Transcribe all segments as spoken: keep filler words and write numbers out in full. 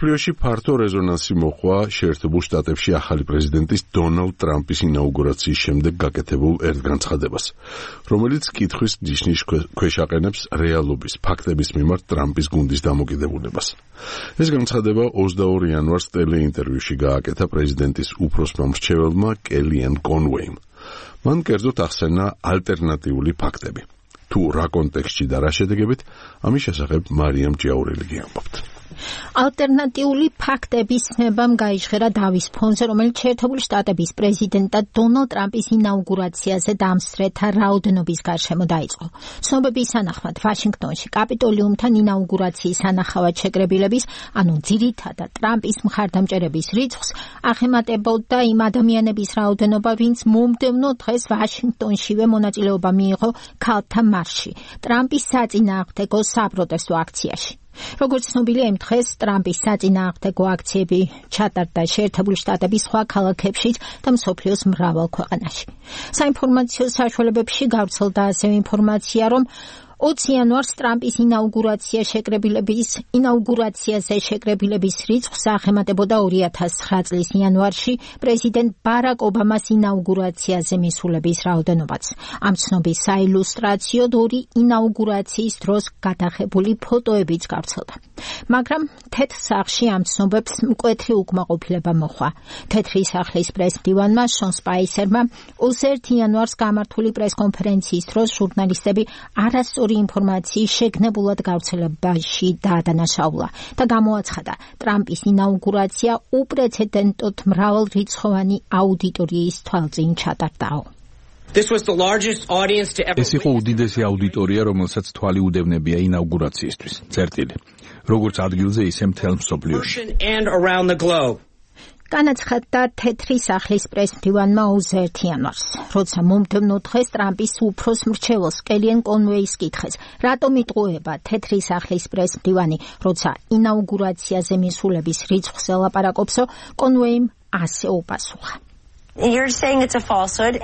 მსოფლიოში ფართო რეზონანსი მოჰყვა შეერთებულ შტატებში ახალი პრეზიდენტის დონალდ ტრამპის ინაუგურაციის შემდეგ გაკეთებულ ერთ განცხადებას, რომელიც კითხვის ნიშნის ქვეშ აყენებს რეალობის, ფაქტების მიმართ ტრამპის გუნდის დამოკიდებულებას. ეს განცხადება ოცდაორი იანვარს ტელეინტერვიუში გააკეთა პრეზიდენტის უფროსმა მრჩეველმა კელიან კონვეიმ. მან კერძოდ ახსენა ალტერნატიული ფაქტები. თუ რა კონტექსტში და რა შედეგებით, ამის შესახებ მარიამ ჭიაურელი ამბობთ. ალტერნატიული ფაქტების ცნებამ გაიჟღერა დავის ფონზე, რომელიც შეერთებული შტატების პრეზიდენტად დონალდ ტრამპის ინაუგურაციაზე დამსწრეთა რაოდენობის გარშემო დაიწყო. ცნობების თანახმად, ვაშინგტონში კაპიტოლიუმთან ინაუგურაციის სანახავად შეკრებილების, ანუ ძირითადად ტრამპის მხარდამჭერების რიცხვს აღემატებოდა იმ ადამიანების რაოდენობა, ვინც მომდევნო დღეს ვაშინგტონშივე მონაწილეობა მიიღო ქალთა მარშში, ტრამპის საწინააღმდეგო საპროტესტო აქციაში. როგორც ცნობილია, იმ დღეს ტრამპის საწინააღმდეგო აქციები ჩატარდა შეერთებული შტატების სხვა ქალაქებშიც და მსოფლიოს მრავალ ქვეყანაში. საინფორმაციო საშუალებებში გავრცელდა ასევე ინფორმაცია, რომ ოცი იანვარს ტრამპის ინაუგურაცია შეკრებილების ინაუგურაციაზე შეკრებილების რიცხვს აღემატებოდა ორი ათას ცხრა წლის იანვარში პრეზიდენტ ბარაკ ობამას ინაუგურაციაზე მისულების რაოდენობაც. ამ ცნობის საილუსტრაციოდ ორი ინაუგურაციის დროს გადაღებული ფოტოებიც გავრცელდა. მაგრამ თეთრ სახლში ამ ცნობებს მკვეთრი უკმაყოფილება მოჰყვა. თეთრი სახლის პრესმდივანმა შონ სპაისერმა ოცდაერთი იანვარს გამართული პრესკონფერენციის დროს ჟურნალისტები არასწორი ინფორმაციის შეგნებულად გავრცელებაში დაადანაშაულა და გამოაცხადა, ტრამპის ინაუგურაცია უპრეცედენტოდ მრავალრიცხოვანი აუდიტორიის თვალწინ ჩატარდაო. ეს იყო უდიდესი აუდიტორია, რომელსაც თვალი უდევნებია ინაუგურაციისთვის. წერტილი. როგორც ადგილზე, ისე მთელ მსოფლიოში. განაცხადა თეთრი სახლის პრესმდივანმა ოცდაერთი იანვარს, როცა მომდევნო დღეს ტრამპის უფროს მრჩეველს კელიან კონვეის კითხეს, რატომ იტყუება თეთრი სახლის პრესმდივანი, როცა ინაუგურაციაზე მისულების რიცხვს ელაპარაკობსო, კონვეიმ ასე უპასუხა.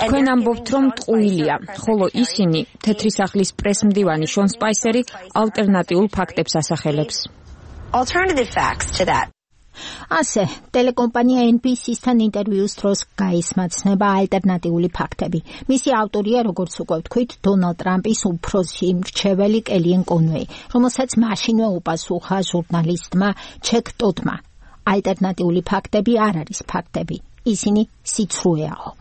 თქვენ ამბობთ, რომ ტყუილია, ხოლო ისინი, თეთრი სახლის პრესმდივანი შონ სპაისერი, ალტერნატიულ ფაქტებს ასახელებს. ასე, ტელეკომპანია ენ ბი სი-სთან ინტერვიუს დროს გაისმა ცნება ალტერნატიული ფაქტები. მისი ავტორია, როგორც უკვე ვთქვით, დონალდ ტრამპის უფროსი მრჩეველი კელიან კონვეი, რომელსაც მაშინვე უპასუხა ჟურნალისტმა ჩეკ ტოდმა. ალტერნატიული ფაქტები არ არის ფაქტები, ისინი სიცრუეაო.